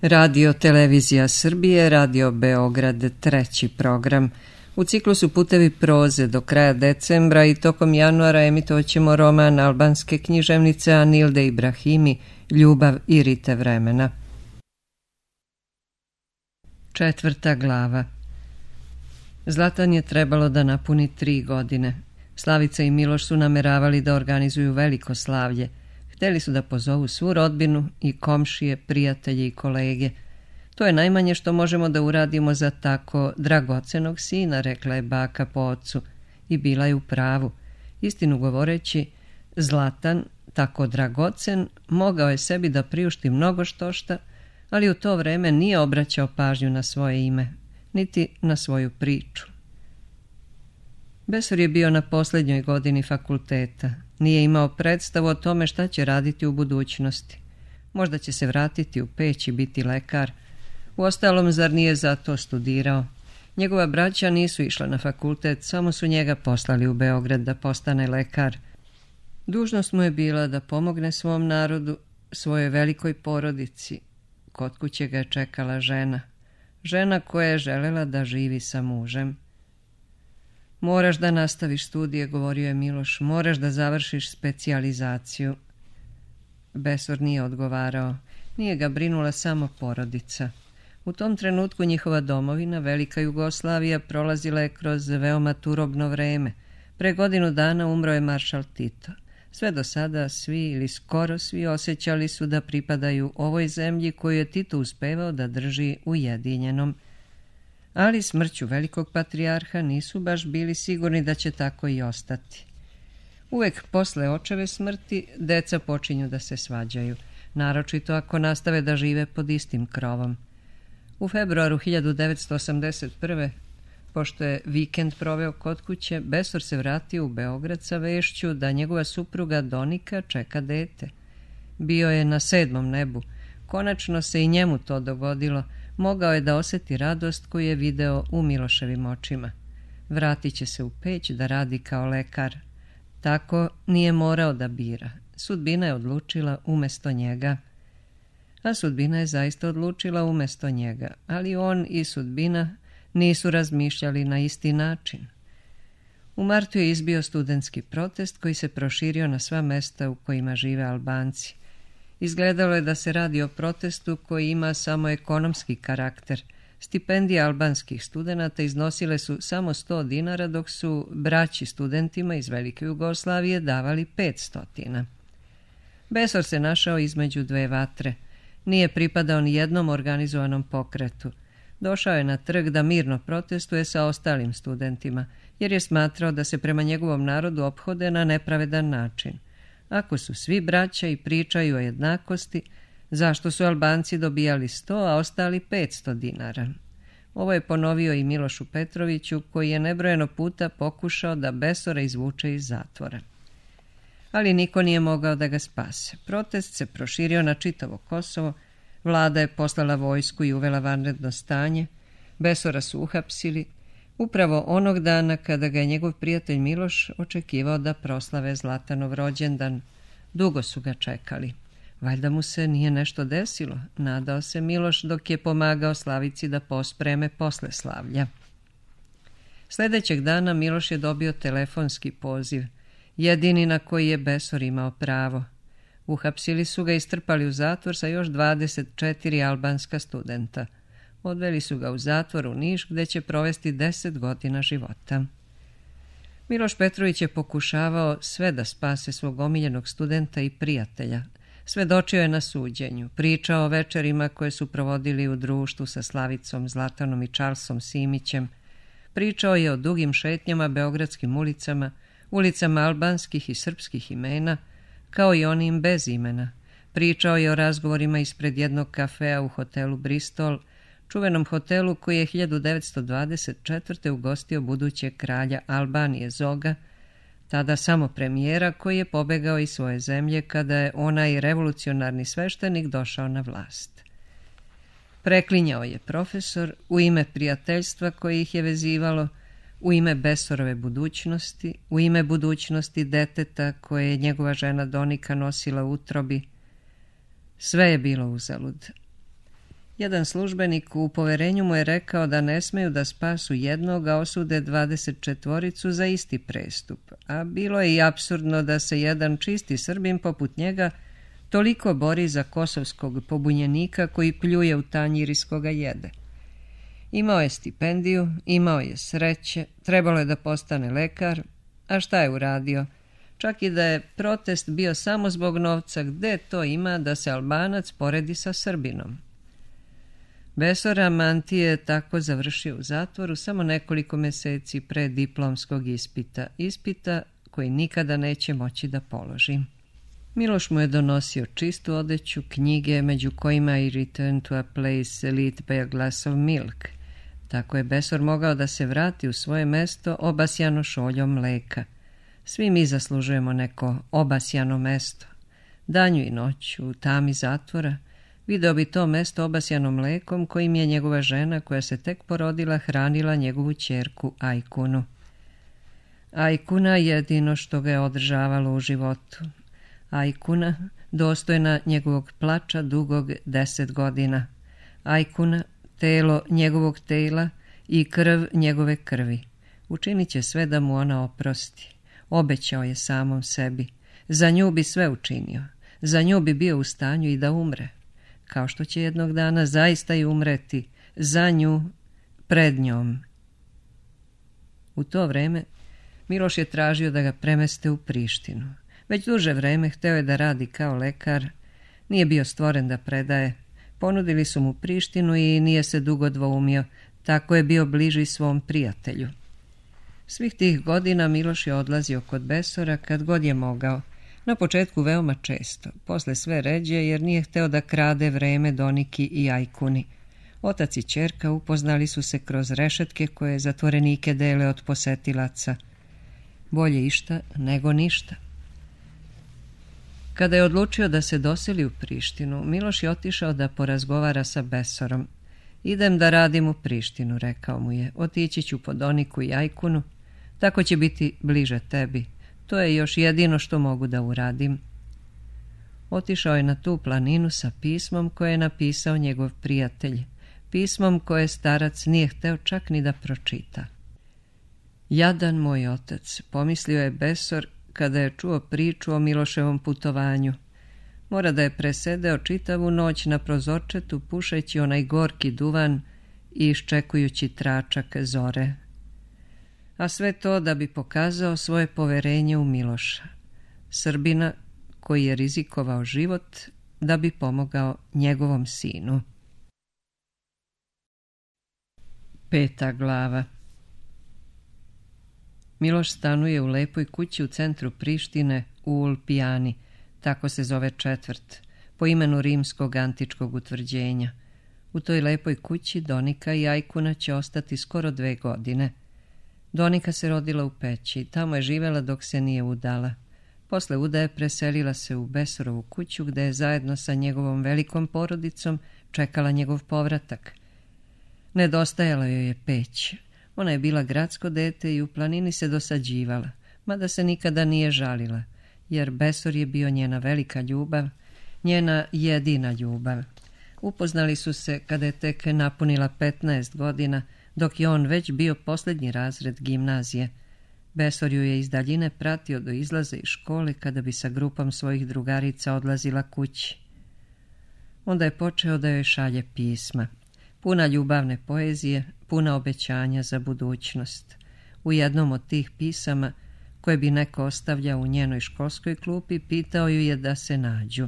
Radio Televizija Srbije, Radio Beograd, treći program. U ciklusu Putevi proze do kraja decembra i tokom januara emitovat ćemo roman albanske književnice Anilde Ibrahimi, Ljubav i rite vremena. 4. glava. Zlatan je trebalo da napuni 3 godine. Slavica i Miloš su nameravali da organizuju veliko slavlje. Hteli su da pozovu svu rodbinu i komšije, prijatelje i kolege. To je najmanje što možemo da uradimo za tako dragocenog sina, rekla je baka po ocu. I bila je u pravu. Istinu govoreći, Zlatan, tako dragocen, mogao je sebi da priušti mnogo štošta, ali u to vreme nije obraćao pažnju na svoje ime, niti na svoju priču. Besor je bio na posljednjoj godini fakulteta. Nije imao predstavu o tome šta će raditi u budućnosti. Možda će se vratiti u Peć i biti lekar. Uostalom, zar nije zato studirao? Njegova braća nisu išla na fakultet, samo su njega poslali u Beograd da postane lekar. Dužnost mu je bila da pomogne svom narodu, svojoj velikoj porodici. Kod kuće ga je čekala žena. Žena koja je želela da živi sa mužem. Moraš da nastaviš studije, govorio je Miloš, moraš da završiš specijalizaciju. Besor nije odgovarao. Nije ga brinula samo porodica. U tom trenutku njihova domovina, Velika Jugoslavija, prolazila je kroz veoma turobno vreme. Pre godinu dana umro je maršal Tito. Sve do sada svi ili skoro svi osjećali su da pripadaju ovoj zemlji koju je Tito uspevao da drži ujedinjenom. Ali smrću velikog patrijarha nisu baš bili sigurni da će tako i ostati. Uvek posle očeve smrti deca počinju da se svađaju, naročito ako nastave da žive pod istim krovom. U februaru 1981. pošto je vikend proveo kod kuće, Besor se vratio u Beograd sa vešću da njegova supruga Donika čeka dete. Bio je na 7. nebu. Konačno se i njemu to dogodilo. Mogao je da osjeti radost koju je video u Miloševim očima. Vratit će se u Peć da radi kao lekar. Tako nije morao da bira. Sudbina je odlučila umesto njega. A sudbina je zaista odlučila umesto njega, ali on i sudbina nisu razmišljali na isti način. U martu je izbio studentski protest koji se proširio na sva mesta u kojima žive Albanci. Izgledalo je da se radi o protestu koji ima samo ekonomski karakter. Stipendije albanskih studenata iznosile su samo 100 dinara, dok su braći studentima iz Velike Jugoslavije davali 500. Besor se našao između dve vatre. Nije pripadao ni jednom organizovanom pokretu. Došao je na trg da mirno protestuje sa ostalim studentima, jer je smatrao da se prema njegovom narodu ophode na nepravedan način. Ako su svi braća i pričaju o jednakosti, zašto su Albanci dobijali 100, a ostali 500 dinara? Ovo je ponovio i Milošu Petroviću, koji je nebrojeno puta pokušao da Besora izvuče iz zatvora. Ali niko nije mogao da ga spase. Protest se proširio na čitavo Kosovo, vlada je poslala vojsku i uvela vanredno stanje, Besora su uhapsili, upravo onog dana kada ga je njegov prijatelj Miloš očekivao da proslave Zlatanov rođendan. Dugo su ga čekali. Valjda mu se nije nešto desilo, nadao se Miloš dok je pomagao Slavici da pospreme posle slavlja. Sljedećeg dana Miloš je dobio telefonski poziv, jedini na koji je Besor imao pravo. Uhapsili su ga i strpali u zatvor sa još 24 albanska studenta. Odveli su ga u zatvor u Niš, gde će provesti 10 godina života. Miloš Petrović je pokušavao sve da spase svog omiljenog studenta i prijatelja. Svedočio je na suđenju, pričao o večerima koje su provodili u društvu sa Slavicom, Zlatanom i Charlesom Simićem. Pričao je o dugim šetnjama beogradskim ulicama, ulicama albanskih i srpskih imena, kao i onim bez imena. Pričao je o razgovorima ispred jednog kafea u hotelu Bristol, čuvenom hotelu koji je 1924. ugostio budućeg kralja Albanije Zoga, tada samo premijera koji je pobegao iz svoje zemlje kada je onaj revolucionarni sveštenik došao na vlast. Preklinjao je profesor u ime prijateljstva koje ih je vezivalo, u ime Besorove budućnosti, u ime budućnosti deteta koje je njegova žena Donika nosila u utrobi. Sve je bilo uzalud. Jedan službenik u poverenju mu je rekao da ne smeju da spasu jednog, a osude 24 za isti prestup, a bilo je i apsurdno da se jedan čisti Srbin poput njega toliko bori za kosovskog pobunjenika koji pljuje u tanjir iz koga jede. Imao je stipendiju, imao je sreće, trebalo je da postane lekar, a šta je uradio? Čak i da je protest bio samo zbog novca, gde to ima da se Albanac poredi sa Srbinom? Besor Amanti je tako završio u zatvoru samo nekoliko meseci pre diplomskog ispita koji nikada neće moći da položi. Miloš mu je donosio čistu odeću, knjige, među kojima i Return to a place lit by a glass of milk. Tako je Besor mogao da se vrati u svoje mesto obasjano šoljom mleka. Svi mi zaslužujemo neko obasjano mesto. Danju i noću, u tami zatvora, video bi to mesto obasjano mlekom kojim je njegova žena, koja se tek porodila, hranila njegovu ćerku Ajkunu. Ajkuna jedino što ga je održavalo u životu. Ajkuna, dostojna njegovog plača dugog 10 godina. Ajkuna, telo njegovog tela i krv njegove krvi. Učinit će sve da mu ona oprosti. Obećao je samom sebi. Za nju bi sve učinio. Za nju bi bio u stanju i da umre. Kao što će jednog dana zaista i umreti. Za nju, pred njom. U to vreme Miloš je tražio da ga premeste u Prištinu. Već duže vreme hteo je da radi kao lekar. Nije bio stvoren da predaje. Ponudili su mu Prištinu i nije se dugo dvoumio. Tako je bio bliži svom prijatelju. Svih tih godina Miloš je odlazio kod Besora kad god je mogao. Na početku veoma često, posle sve ređe jer nije hteo da krade vreme Doniki i Ajkuni. Otac i ćerka upoznali su se kroz rešetke koje zatvorenike dele od posetilaca. Bolje išta nego ništa. Kada je odlučio da se doseli u Prištinu, Miloš je otišao da porazgovara sa Besorom. Idem da radim u Prištinu, rekao mu je. Otići ću po Doniku i Ajkunu. Tako će biti bliže tebi. To je još jedino što mogu da uradim. Otišao je na tu planinu sa pismom koje je napisao njegov prijatelj. Pismom koje starac nije hteo čak ni da pročita. Jadan moj otac, pomislio je Besor kada je čuo priču o Miloševom putovanju. Mora da je presedeo čitavu noć na prozorčetu pušeći onaj gorki duvan i iščekujući tračak zore. A sve to da bi pokazao svoje poverenje u Miloša, Srbina koji je rizikovao život da bi pomogao njegovom sinu. 5. glava. Miloš stanuje u lepoj kući u centru Prištine u Ulpijani, tako se zove četvrt, po imenu rimskog antičkog utvrđenja. U toj lepoj kući Donika i Ajkuna će ostati skoro 2 godine. Donika se rodila u Peći, tamo je živela dok se nije udala. Posle udaje preselila se u Besorovu kuću gde je zajedno sa njegovom velikom porodicom čekala njegov povratak. Nedostajala joj je peć. Ona je bila gradsko dete i u planini se dosađivala, mada se nikada nije žalila, jer Besor je bio njena velika ljubav, njena jedina ljubav. Upoznali su se kada je tek napunila 15 godina, dok je on već bio posljednji razred gimnazije. Besor ju je iz daljine pratio do izlaza iz škole kada bi sa grupom svojih drugarica odlazila kući. Onda je počeo da joj šalje pisma. Puna ljubavne poezije, puna obećanja za budućnost. U jednom od tih pisama, koje bi neko ostavljao u njenoj školskoj klupi, pitao ju je da se nađu.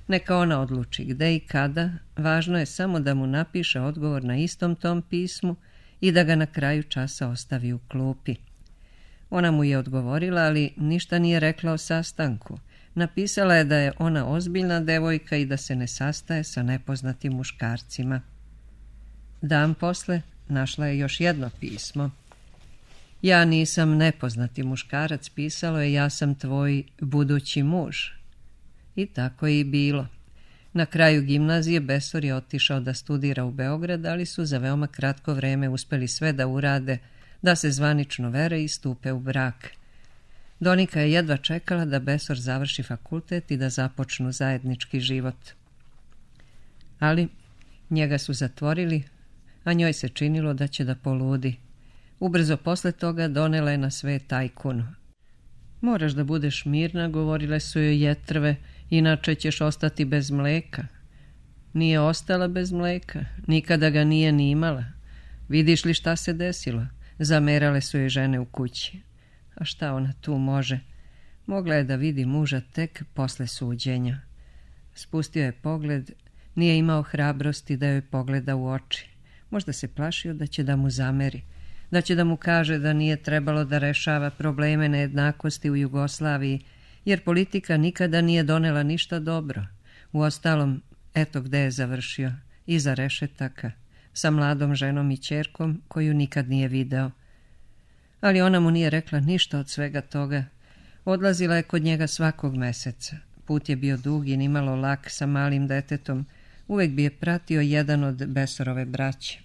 Neka ona odluči gde i kada, važno je samo da mu napiše odgovor na istom tom pismu i da ga na kraju časa ostavi u klupi. Ona mu je odgovorila, ali ništa nije rekla o sastanku. Napisala je da je ona ozbiljna devojka i da se ne sastaje sa nepoznatim muškarcima. Dan posle našla je još jedno pismo. Ja nisam nepoznati muškarac, pisalo je, ja sam tvoj budući muž. I tako je i bilo. Na kraju gimnazije Besor je otišao da studira u Beograd, ali su za veoma kratko vreme uspeli sve da urade, da se zvanično vere i stupe u brak. Donika je jedva čekala da Besor završi fakultet i da započnu zajednički život. Ali Njega su zatvorili, a njoj se činilo da će da poludi. Ubrzo posle toga donela je na svet tajkunu. Moraš da budeš mirna, govorile su joj jetrve, inače ćeš ostati bez mleka. Nije ostala bez mleka, nikada ga nije ni imala. Vidiš li šta se desilo? Zamerale su joj žene u kući. A šta ona tu može? Mogla je da vidi muža tek posle suđenja. Spustio je pogled, nije imao hrabrosti da joj pogleda u oči. Možda se plašio da će da mu zameri, da će da mu kaže da nije trebalo da rešava probleme nejednakosti u Jugoslaviji, jer politika nikada nije donela ništa dobro. Uostalom, eto gde je završio, iza rešetaka, sa mladom ženom i ćerkom koju nikad nije video. Ali ona mu nije rekla ništa od svega toga. Odlazila je kod njega svakog meseca. Put je bio dug i nimalo lak sa malim detetom. Uvek bi je pratio jedan od Besorove braće.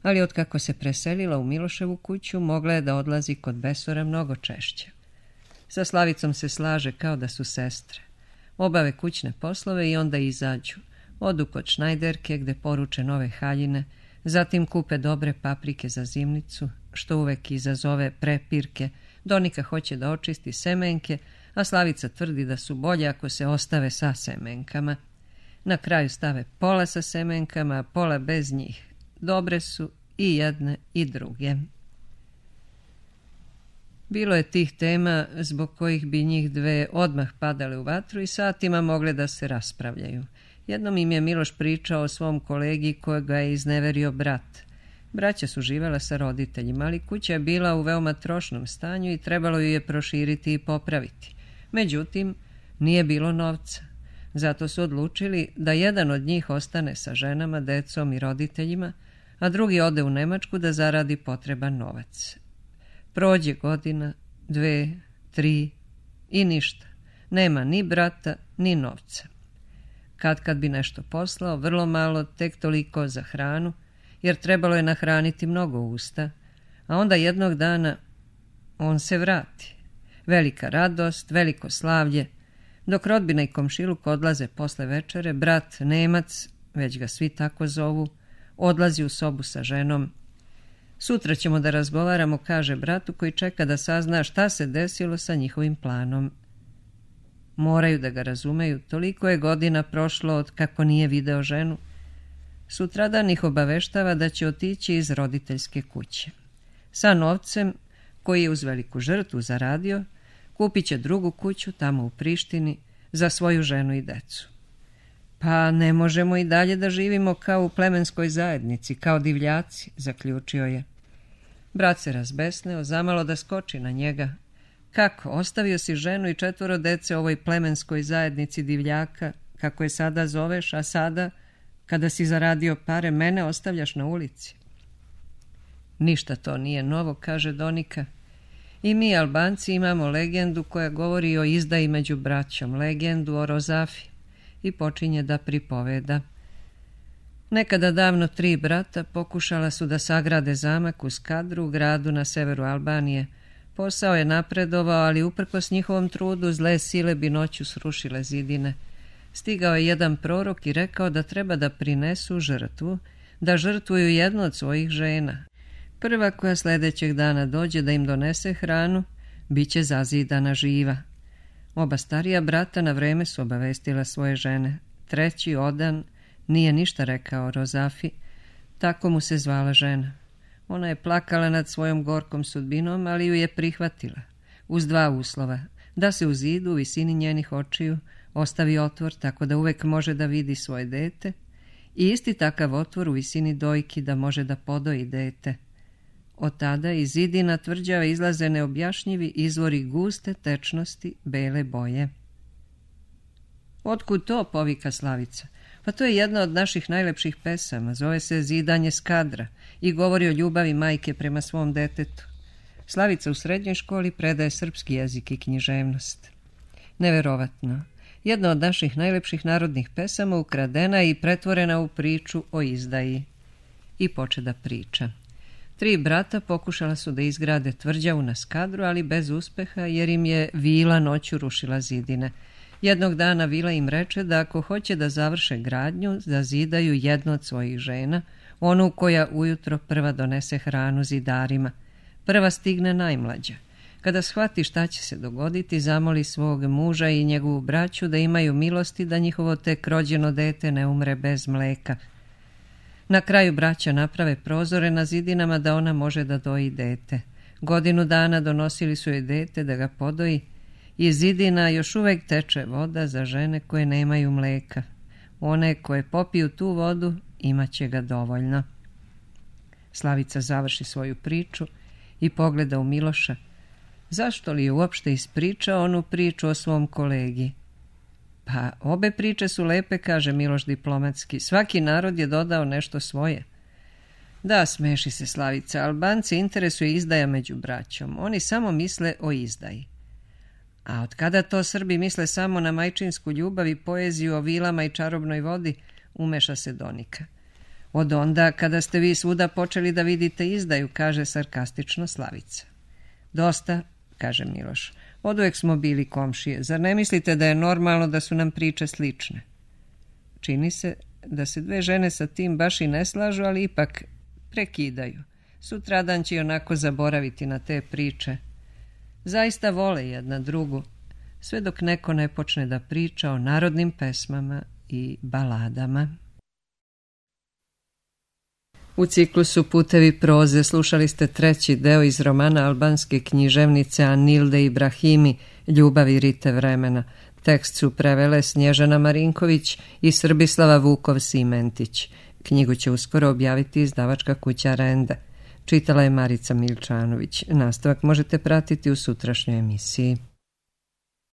Ali otkako se preselila u Miloševu kuću, mogla je da odlazi kod Besora mnogo češće. Sa Slavicom se slaže kao da su sestre. Obave kućne poslove i onda izađu. Odu kod Šnajderke gde poruče nove haljine, zatim kupe dobre paprike za zimnicu, što uvek izazove prepirke. Donika hoće da očisti semenke, a Slavica tvrdi da su bolje ako se ostave sa semenkama. Na kraju stave pola sa semenkama, a pola bez njih. Dobre su i jedne i druge. Bilo je tih tema zbog kojih bi njih dve odmah padale u vatru i satima mogle da se raspravljaju. Jednom im je Miloš pričao o svom kolegi kojega je izneverio brat. Braća su živela sa roditeljima, ali kuća je bila u veoma trošnom stanju i trebalo ju je proširiti i popraviti. Međutim, nije bilo novca. Zato su odlučili da jedan od njih ostane sa ženama, decom i roditeljima, a drugi ode u Nemačku da zaradi potreban novac. Prođe godina, 2, 3 i ništa. Nema ni brata, ni novca. Kad bi nešto poslao, vrlo malo, tek toliko za hranu, jer trebalo je nahraniti mnogo usta, a onda jednog dana on se vrati. Velika radost, veliko slavlje. Dok rodbina i komšiluk odlaze posle večere, brat Nemac, već ga svi tako zovu, odlazi u sobu sa ženom. Sutra ćemo da razgovaramo, kaže bratu koji čeka da sazna šta se desilo sa njihovim planom. Moraju da ga razumeju, toliko je godina prošlo od kako nije video ženu. Sutradan ih obaveštava da će otići iz roditeljske kuće. Sa novcem, koji je uz veliku žrtvu zaradio, kupit će drugu kuću tamo u Prištini za svoju ženu i decu. Pa ne možemo i dalje da živimo kao u plemenskoj zajednici, kao divljaci, zaključio je. Brat se razbesneo, zamalo da skoči na njega. Kako, ostavio si ženu i 4 dece ovoj plemenskoj zajednici divljaka, kako je sada zoveš, a sada, kada si zaradio pare, mene ostavljaš na ulici? Ništa to nije novo, kaže Donika. I mi, Albanci, imamo legendu koja govori o izdaji među braćom, legendu o Rozafi, i počinje da pripoveda. Nekada davno 3 brata pokušala su da sagrade zamak u Skadru, gradu na severu Albanije. Posao je napredovao, ali uprkos njihovom trudu zle sile bi noću srušile zidine. Stigao je jedan prorok i rekao da treba da prinesu žrtvu, da žrtvuju jednu od svojih žena. Prva koja sljedećeg dana dođe da im donese hranu, bit će zazidana živa. Oba starija brata na vreme su obavestila svoje žene. Treći, Odan, nije ništa rekao Rozafi, tako mu se zvala žena. Ona je plakala nad svojom gorkom sudbinom, ali ju je prihvatila, uz 2 uslova, da se u zidu u visini njenih očiju ostavi otvor tako da uvek može da vidi svoje dete i isti takav otvor u visini dojki da može da podoji dete. Od tada iz zidina tvrđave izlaze neobjašnjivi izvori guste tečnosti bele boje. Otkud to, povika Slavica? Pa to je jedna od naših najlepših pesama, zove se Zidanje Skadra i govori o ljubavi majke prema svom detetu. Slavica u srednjoj školi predaje srpski jezik i književnost. Neverovatno. Jedna od naših najlepših narodnih pesama ukradena i pretvorena u priču o izdaji. I poče da priča. 3 brata pokušala su da izgrade tvrđavu na Skadru, ali bez uspeha jer im je vila noću rušila zidine. Jednog dana Vila im reče da ako hoće da završe gradnju, zazidaju jednu od svojih žena, onu koja ujutro prva donese hranu zidarima. Prva stigne najmlađa. Kada shvati šta će se dogoditi, zamoli svog muža i njegovu braću da imaju milosti da njihovo tek rođeno dete ne umre bez mleka. Na kraju braća naprave prozore na zidinama da ona može da doji dete. Godinu dana donosili su joj dete da ga podoji. Iz zidina još uvek teče voda za žene koje nemaju mleka. One koje popiju tu vodu imaće ga dovoljno. Slavica završi svoju priču i pogleda u Miloša. Zašto li je uopšte ispričao onu priču o svom kolegi? Pa obe priče su lepe, kaže Miloš diplomatski. Svaki narod je dodao nešto svoje. Da, smeši se Slavica, Albanci interesuje izdaja među braćom. Oni samo misle o izdaji. A od kada to Srbi misle samo na majčinsku ljubav i poeziju o vilama i čarobnoj vodi, umeša se Donika. Od onda kada ste vi svuda počeli da vidite izdaju, kaže sarkastično Slavica. Dosta, kaže Miloš. Oduvek smo bili komšije. Zar ne mislite da je normalno da su nam priče slične? Čini se da se dve žene sa tim baš i ne slažu, ali ipak prekidaju. Sutradan će onako zaboraviti na te priče. Zaista vole jedna drugu, sve dok neko ne počne da priča o narodnim pesmama i baladama. U ciklusu Putevi proze slušali ste treći deo iz romana albanske književnice Anilde Ibrahimi Ljubavi rite vremena. Tekst su prevele Snježana Marinković i Srbislava Vukov-Simentić. Knjigu će uskoro objaviti izdavačka kuća Renda. Čitala je Marica Milčanović. Nastavak možete pratiti u sutrašnjoj emisiji.